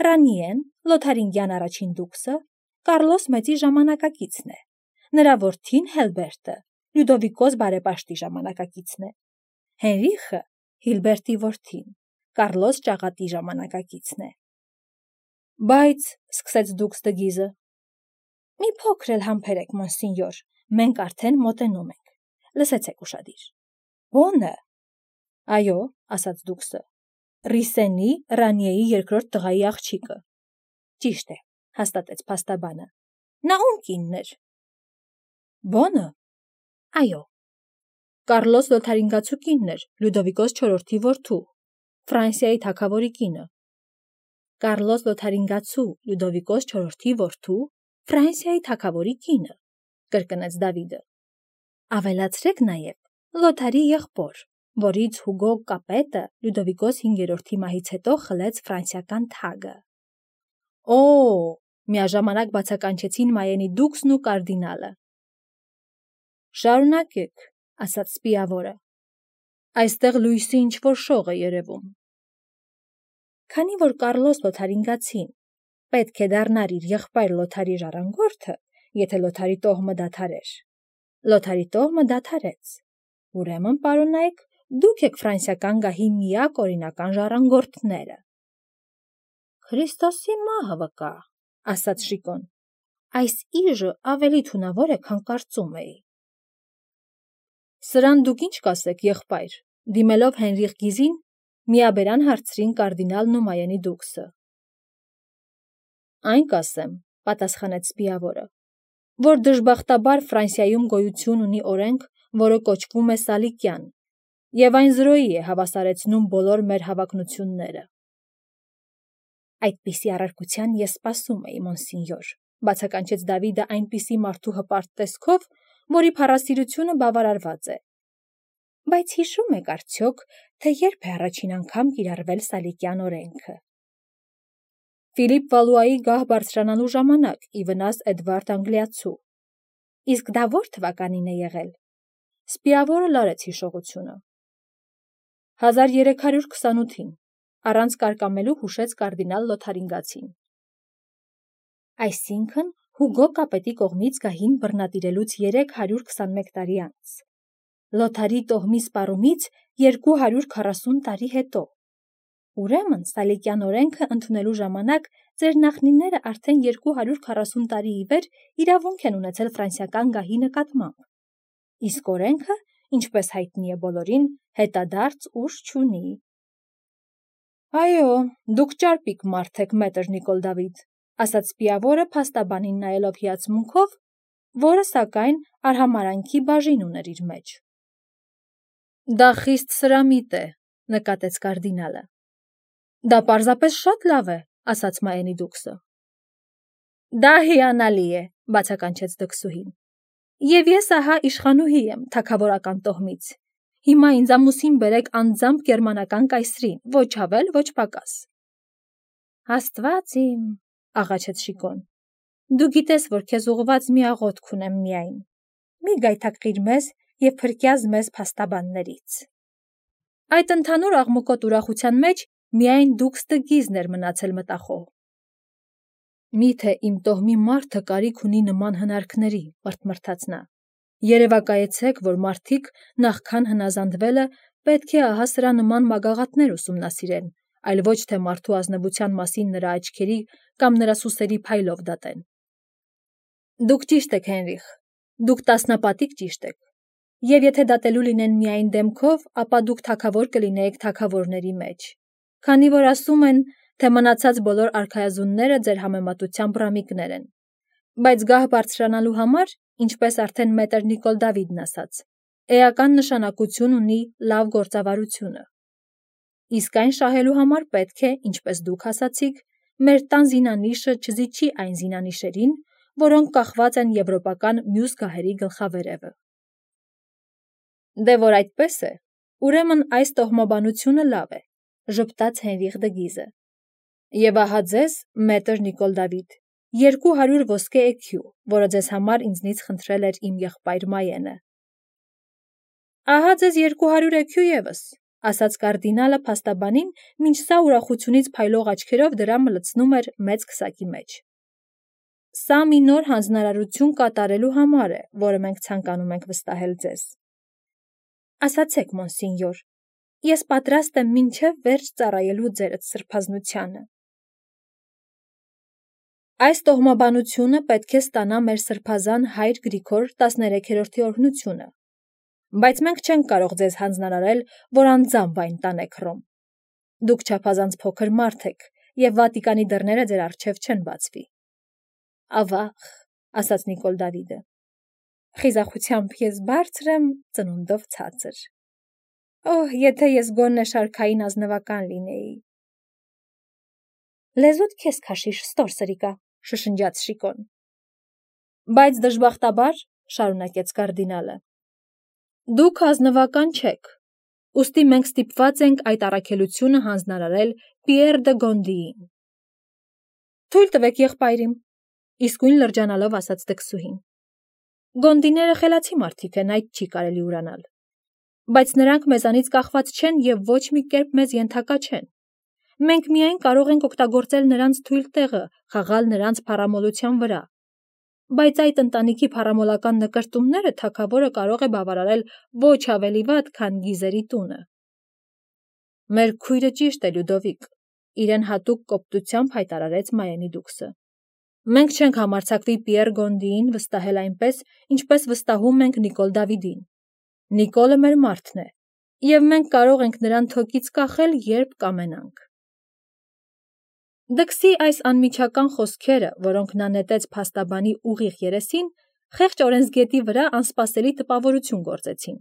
Ռանիեն, Լոթարինգյան առաջին դուքսը, Կարլոս մեծի ժամանակակիցն է։ Նրա որդին Հելբերտը Լյուդովիկոս բարեպաշտի ժամանակակիցն է։ Հենրիխը Հիլբերտի որդին, Կարլոս ճաղատի ժամանակակիցն է։ Բայց, սկսեց դուքս դգիզը, մի փոքր էլ համբերեք, մոնսինյոր, մենք արդեն մոտենում ենք, լսեցեք ուշադիր։ Բոնը։ Այո, ասաց դուքսը, Ռիսենի Ռանիեի երկրորդ տղայի աղջիկը։ Ճիշտ է, հաստատեց փաստաբանը։ Նա ում կինն էր։ Բոնը։ Այո։ Կարլոս Լոթարինգացու կինն էր, Լյուդովիկոս IV-ի որդու, Ֆրանսիայի թագավորի կինը։ Կարլոս Լոթարինգացու Լյուդովիկոս IV-ի որդու, Ֆրանսիայի թագավորի կինը, կրկնեց Դավիդը։ Ավելացրեք նաև Լոթարի եղբոր, որից Հուգո Կապետը Լյուդովիկոս 5-րդի մահից հետո խլեց ֆրանսիական թագը։ Օ, միաժամանակ բացականչեցին Մայենի դուքսն ու կարդինալը։ Շարունակեք, ասաց սպիավորը։ Այստեղ լույսի ինչ-որ շող է երևում։ Քանի որ Կարլոս Լոթարինգացին պետք է դառնար իր եղբայր Լոթարի ժառանգորդը, եթե Լոթարի տոհմը դադարեր։ Լոթարի տոհմը դադարեց։ Ուրեմն, պարոնայք, դուք եք ֆրանսիական գահի միակ օրինական ժառանգորդները։ Քրիստոսի մահը վկա, ասաց Շիկոն։ Այս իժը ավելի թունավոր է, քան կարծում էի։ Սրան դուք ինչ կասեք, եղբայր, դիմելով Հենրիխ Գիզին, միաբերան հարցրին կարդինալն ու Մայենի դուքսը։ Այն կասեմ, պատասխանեց սպիավորը, որ դժբախտաբար Ֆրանսիայում գոյություն ունի օրենք, որը կոչվում է Սալիկյան, եւ այն զրոյի է հավասարեցնում բոլոր մեր հավակնությունները։ Այդպիսի առարկության ես սպասում էի, մոնսինյոր, բացականչեց Դավիդը այնպիսի մարդու հպարտ տեսքով, որի փառասիրությունը բավարարված է։ Բայց հիշում եք արդյոք, թե երբ է առաջին անգամ կիրառվել Սալիկյան օրենքը։ Ֆիլիպ Վալուայի գահ բարձրանալու ժամանակ, ի վնաս Էդվարդ Անգլիացու։ Իսկ դա ո՞ր թվականին է եղել։ Սպիավորը լարեց հիշողությունը։ 1328-ին, առանց կարկամելու հուշեց կարդինալ Լոթարինգացին։ Այսինքն Հուգո Կապետի կողմից գահին բռնատիրելուց 321 տարի անց։ Լոթարի տոհմի սպառումից 240 տարի հետո։ Ուրեմն Սալիկյան օրենքը ընդունելու ժամանակ ձեր նախնիները արդեն 240 տարի ի վեր իրավունք են ունեցել ֆրանսիական գահի նկատմամբ։ Իսկ օրենքը, ինչպես հայտնի է բոլորին, հետադարձ ուժ չունի։ Այո, դուք ճարպիկ մարդ եք, մետր Նիկոլ Դավիթ, ասաց սպիավորը փաստաբանին նայելով հիացմունքով, որը, սակայն, արհամարանքի բաժին ուներ իր մեջ։ Դա խիստ սրամիտ է, նկատեց կարդինալը։ Դա պարզապես շատ լավ է, ասաց Մայենի դուքսը։ Դա հիանալի է, բացականչեց դքսուհին։ Եվ ես ահա իշխանուհի եմ թագավորական տոհմից։ Հիմա ինձ ամուսին բերեք անձամբ գերմանական կայսրին, ոչ ավել, ոչ պակաս։ Աստված իմ, աղաչեց Շիկոն։ Դու գիտես, որ քեզ ուղված մի աղոթք ունեմ միայն։ Մի գայթակղիր մեզ եւ փրկյազ մեզ փաստաբաններից։ Այդ ընդհանուր աղմկոտ ուրախության մեջ միայն դուքս դգիզն էր մնացել մտախոհ։ Միթե իմ տոհմի մարդը կարիք ունի նման հնարքների, մրթմրթաց նա։ Երևակայեցեք, որ մարդիկ նախքան հնազանդվելը պետք է ահա սրա նման մագաղաթներ ուսումնասիրեն, այլ ոչ թե մարդու ազնվության մասին նրա աչքերի կամ նրա սուսերի փայլով դատեն։ Դուք ճիշտ եք, Հենրիխ, դուք տասնապատիկ ճիշտ եք, եւ եթե դատելու լինեն միայն դեմքով, ապա դուք թագավոր կլինեիք թագավորների մեջ, քանի որ ասում են, թե մնացած բոլոր արքայազունները ձեր համեմատությամբ ռամիկներ են, բայց գահ բարձրանալու համար, ինչպես արդեն մետր Նիկոլ Դավիդն ասաց, էական նշանակություն ունի լավ գործավարությունը։ Իսկ այն շահելու համար պետք է, ինչպես դուք ասացիք, մեր տան զինանիշը չզիջի այն զինանիշերին, որոնք կախված են եվրոպական մյուս գահերի գլխավերևը։ Դե որ այդպես է, ուրեմն այս տոհմաբանությունը լավ է, ժպտաց Հենրիխ դգիզը։ Եվ ահա ձեզ, մետր Նիկոլ Դավիթ, 200 ոսկե էքյու, որը ձեզ համար ինձնից խնդրել էր իմ եղբայր Մայենը։ Ահա ձեզ 200 էքյու եւս, ասաց կարդինալը փաստաբանին, մինչ սա ուրախությունից փայլող աչքերով դրամը լցնում էր մեծ քսակի մեջ։ Սա մի նոր հանձնարարություն կատարելու համար է, որը մենք ցանկանում ենք վստահել ձեզ։ Ասացեք, մոնսինյոր, ես պատրաստ եմ մինչև վերջ ծառայելու ձերդ սրբազնությանը։ Այս տոհմաբանությունը պետք է ստանա մեր սրբազան հայր Գրիգոր 13-րդի օրհնությունը, բայց մենք չենք կարող ձեզ հանձնարարել, որ անձամբ այն տանեք Հռոմ։ Դուք չափազանց փոքր մարդ եք, և Վատիկանի դռները ձեր առջև չեն բացվի։ Ավաղ, ասաց Նիկոլ Դավիդը, խիզախությամբ ես բարձր եմ, ծնունդով ցածր։ Օհ, եթե ես գոնե շարքային ազնվական լինեի։ Լեզուդ քեզ քաշիշ, ստոր սրիկա, շշնջաց Շիկոն։ Բայց դժբախտաբար, շարունակեց կարդինալը, դուք ազնվական չեք, ուստի մենք ստիպված ենք այդ առաքելությունը հանձնարարել Պիեր դը Գոնդիին։ Թույլ տվեք եղբայրիմ, իսկույն լրջանալով ասաց դքսուհին։ Գոնդիները խելացի մարդիկ են, այդ չի կարելի ուրանալ։ Բայց նրանք մեզանից կախված չեն և ոչ մի կերպ մեզ ենթակա չեն։ Մենք միայն կարող ենք օգտագործել նրանց թույլ տեղը, խաղալ նրանց փառամոլության վրա։ Բայց այդ ընտանիքի փառամոլական նկրտումները թագավորը կարող է բավարարել ոչ ավելի վատ, քան Գիզերի տունը։ Մեր քույրը ճիշտ է, Լյուդովիկ, իրեն հատուկ կոպտությամբ հայտարարեց Մայենի դուքսը։ Մենք չենք համարձակվի Պիեր Գոնդիին վստահել այնպես, ինչպես վստահում ենք Նիկոլ Դավիդին։ Նիկոլը մեր մարդն է, և մենք կարող ենք նրան թոկից կախել, երբ կամենանք։ Դքսի այս անմիջական խոսքերը, որոնք նա նետեց փաստաբանի ուղիղ երեսին, խեղճ օրենսգետի վրա անսպասելի տպավորություն գործեցին։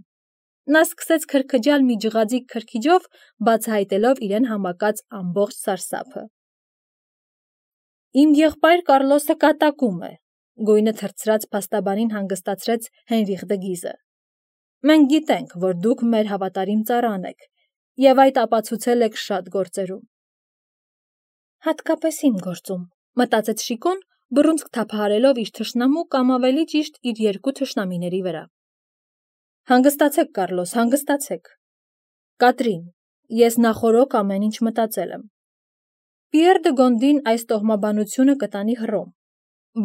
Նա սկսեց քրքջալ մի ջղաձիգ քրքիջով, բացահայտելով իրեն համակած ամբողջ սարսափը։ Իմ եղբայր Կարլոսը կատակում է, գույնը թրծրած փաստաբանին հանգստացրեց Հենրիխ դը Գիզը։ Մենք գիտենք, որ դուք մեր հավատարիմ ծառան եք, և այդ ապացուցել եք շատ գործերում։ Հատկապես իմ գործում, մտածեց Շիկոն, բռունցք թափահարելով իր թշնամու կամ ավելի ճիշտ իր երկու թշնամիների վրա։ Հանգստացեք, Կարլոս, հանգստացեք։ Կատրին, ես նախօրոք ամեն ինչ մտածել եմ։ Պիեր դը Գոնդին այս տոհմաբանությունը կտանի Հռոմ,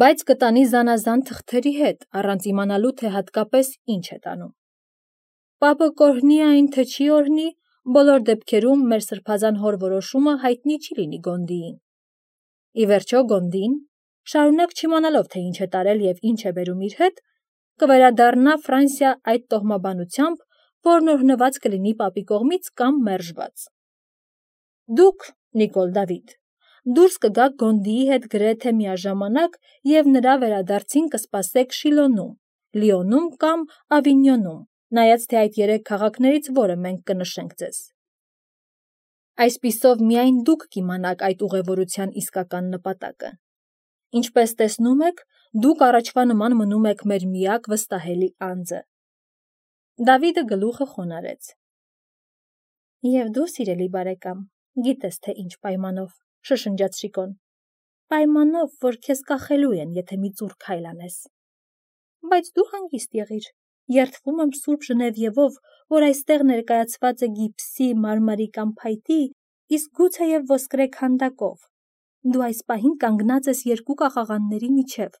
բայց կտանի զանազան թղթերի հետ, առանց իմանալու, թե հատկապես ինչ է տանում։ Պապը կօրհնի այն, թե չի օրհնի, բոլոր դեպքերում մեր սրբազան հոր որոշումը հայտնի չի լինի Գոնդիին։ Ի վերջո Գոնդին, շարունակ չիմանալով, թե ինչ է տարել և ինչ է բերում իր հետ, կվերադառնա Ֆրանսիա այդ տոհմաբանությամբ, որն օրհնված կլինի պապի կողմից կամ մերժված։ Դուք, Նիկոլ Դավիդ, դուրս կգաք Գոնդիի հետ գրեթե միաժամանակ և նրա վերադարձին կսպասեք Շիլոնում, Լիոնում կամ Ավինյոնում, նայած թե այդ երեք քաղաքներից որը մենք կնշենք ձեզ։ Այսպիսով միայն դուք կիմանաք այդ ուղևորության իսկական նպատակը։ Ինչպես տեսնում եք, դուք առաջվա նման մնում եք մեր միակ վստահելի անձը։ Դավիդը գլուխը խոնարհեց։ Եվ դու, սիրելի բարեկամ, գիտես, թե ինչ պայմանով, շշնջաց Շիկոն։ Պայմանով, որ քեզ կախելու են, եթե մի ծուռ քայլ անես։ Բայց դու հանգիստ եղիր, երդվում եմ Սուրբ Ժնևիևով, որ այստեղ ներկայացված է գիպսի, մարմարի կամ փայտի, իսկ գուցեև ոսկրե քանդակով։ Դու այս պահին կանգնած ես երկու կաղաղանների միջև,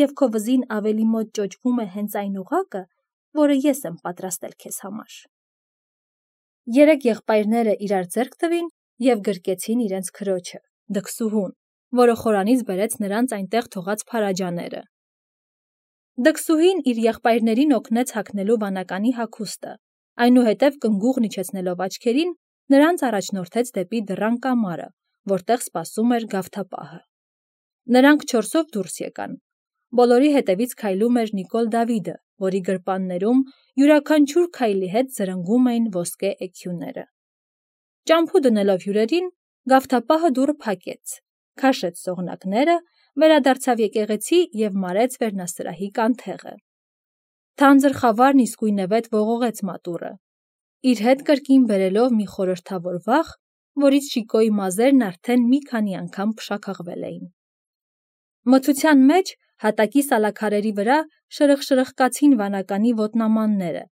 և քո վզին ավելի մոտ ճոճվում է հենց այն ուղակը, որը ես եմ պատրաստել քեզ համար։ Երեք եղբայրները իրար ձեռք տվին և գրկեցին իրենց քրոջը, դքսուհուն, որը խորանից բերեց նրանց այնտեղ թողած փարաջաները։ Դքսուհին իր եղբայրներին օգնեց հագնելու վանականի հագուստը, այնուհետև կնգուղն իջեցնելով աչքերին, նրանց առաջնորդեց դեպի դռան կամարը, որտեղ սպասում էր գավթապահը։ Նրանք չորսով դուրս եկան։ Բոլորի հետևից քայլում էր Նիկոլ Դավիդը, որի գրպաններում յուրաքանչյուր քայլի հետ զրնգում էին ոսկե էքյուները։ Ճամփու դնելով հյուրերին, գավթապահը դուռը փակեց, քաշեց սողնակները, վերադարձավ եկեղեցի և մարեց վերնասրահի կանթեղը։ Թանձր խավարն իսկույնևեթ ողողեց մատուռը, իր հետ կրկին բերելով մի խորհրդավոր վախ, որից Շիկոյի մազերն արդեն մի քանի անգամ փշաքաղվել էին։ Մթության մեջ հատակի սալաքարերի վրա շրխկացին վանականի ոտնամանները,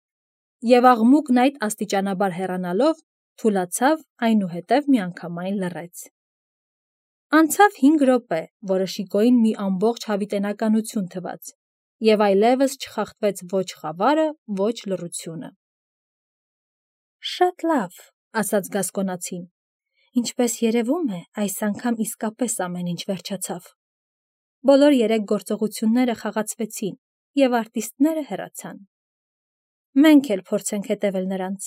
և աղմուկն այդ աստիճանաբար հեռանալով թուլացավ, այնուհետև միանգամայն լռեց։ Անցավ 5 րոպե, որը Շիկոյին մի ամբողջ հավիտենականություն թվաց, և այլևս չխախտվեց ոչ խավարը, ոչ լռությունը։ Շատ լավ, ասաց Գասկոնացին, ինչպես երևում է, այս անգամ իսկապես ամեն ինչ վերջացավ։ Բոլոր 3 գործողությունները խաղացվեցին, և արտիստները հեռացան։ Մենք էլ փորձենք հետևել նրանց։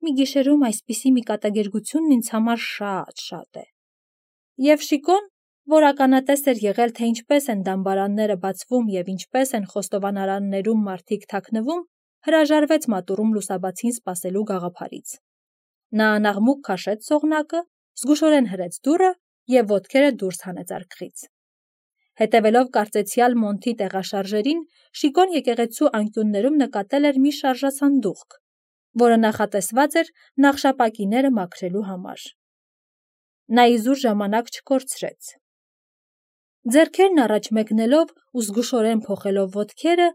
Մի գիշերում այսպիսի մի կատակերգությունն ինձ համար շատ է։ Եվ Շիկոն, որ ականատես էր եղել, թե ինչպես են դամբարանները բացվում և ինչպես են խոստովանարաններում մարդիկ թաքնվում, հրաժարվեց մատուռում լուսաբացին սպասելու գաղափարից։ Նա անաղմուկ քաշեց սողնակը, զգուշորեն հրեց դուռը և ոտքերը դուրս հանեց արկղից։ Հետևելով կարծեցյալ Մոնթի տեղաշարժերին, Շիկոն եկեղեցու անկյուններում նկատել էր մի շարժասանդուղք, որը նախատեսված էր նախշապակիները մաքրելու համար։ Նա իզուր ժամանակ չկորցրեց։ Ձեռքերն առաջ մեկնելով ու զգուշորեն փոխելով ոտքերը,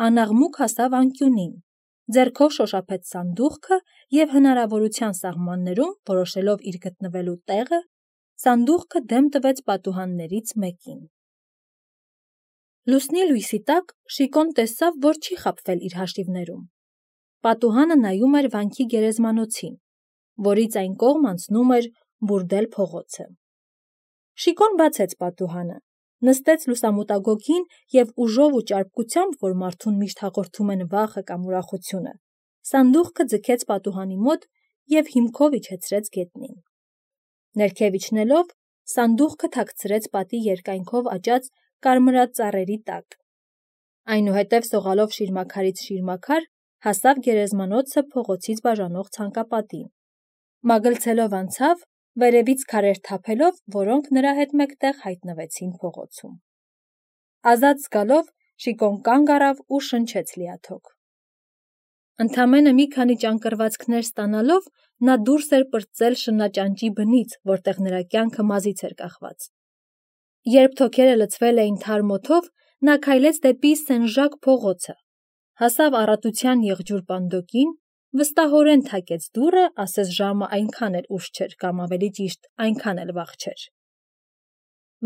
անաղմուկ հասավ անկյունին, ձեռքով շոշափեց սանդուղքը և հնարավորության սահմաններում, որոշելով իր գտնվելու տեղը, սանդուղքը դեմ տվեց պատուհաններից մեկին։ Լուսնի լույսի տակ Շիկոն տեսավ, որ չի խաբվել իր հաշիվներում։ Պատուհանը նայում էր վանքի գերեզմանոցին, որից այն կողմ անցնում էր բուրդել փողոցը։ Շիկոն բացեց պատուհանը, նստեց լուսամուտագոգին և ուժով ու ճարպկությամբ, որ մարդուն միշտ հաղորդում են վախը կամ ուրախությունը, սանդուղքը ձգեց պատուհանի մոտ և հիմքով իջեցրեց գետնին։ Ներքև իջնելով, սանդուղքը թաքցրեց պատի երկայնքով աճած կարմրած ծառերի տակ։ Այնուհետև սողալով շիրմաքարից շիրմաքար, հասավ գերեզմանոցը փողոցից բաժանող ցանկապատին։ Մագլցելով անցավ, վերևից քարեր թափելով, որոնք նրա հետ մեկտեղ հայտնվեցին փողոցում։ Ազատ զգալով Շիկոն կանգ առավ ու շնչեց լիաթոք։ Ընդամենը մի քանի ճանկռվածքներ ստանալով, նա դուրս էր պրծել շնաճանճի բնից, որտեղ նրա կյանքը մազից էր կախված։ Երբ թոքերը լցվել էին թարմ օդով, նա քայլեց դեպի Սեն-Ժակ փողոցը, հասավ Առատության եղջյուր պանդոկին, վստահորեն թակեց դուռը, ասես ժամը այնքան էլ ուշ չէր կամ ավելի ճիշտ այնքան էլ վաղ չէր։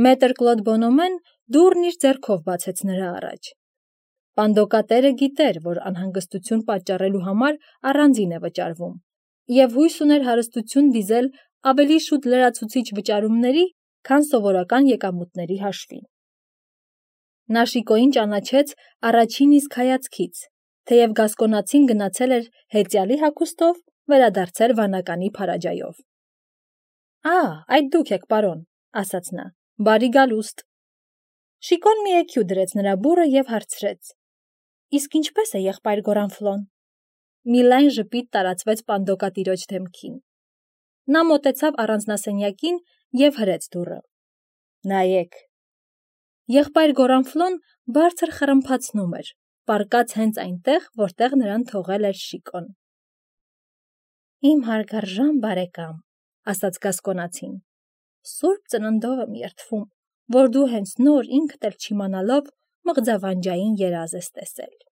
Մետր Կլոդ Բոնոմեն դուռն իր ձեռքով բացեց նրա առաջ։ Պանդոկատերը գիտեր, որ անհանգստություն պատճառելու համար առանձին է վճարվում, և հույս ուներ հարստություն դիզել ավելի շուտ լրացուցիչ վճարումների, քան սովորական եկամուտների հաշվին։ Նա Շիկոյին ճանաչեց առաջին իսկ հայացքից, թեև Գասկոնացին գնացել էր հեծյալի հագուստով, վերադարձել վանականի փարաջայով։ Այդ դուք եք, պարոն, ասաց նա, բարի գալուստ։ Շիկոն մի էքյու դրեց նրա բուռը և հարցրեց. Իսկ ինչպես է եղբայր Գորանֆլոն։ Մի լայն ժպիտ տարածվեց պանդոկատիրոջ դեմքին։ Նա մոտեցավ առանձնասենյակին և հրեց դուռը։ Նայեք։ Եղբայր Գորանֆլոն բարձր խռմփացնում էր, պառկած հենց այնտեղ, որտեղ նրան թողել էր Շիկոն։ Իմ հարգարժան բարեկամ, ասաց Գասկոնացին, Սուրբ Ծննդով եմ երդվում, որ դու հենց նոր ինքդ էլ չիմանալով մղձավանջային երազ ես տեսել։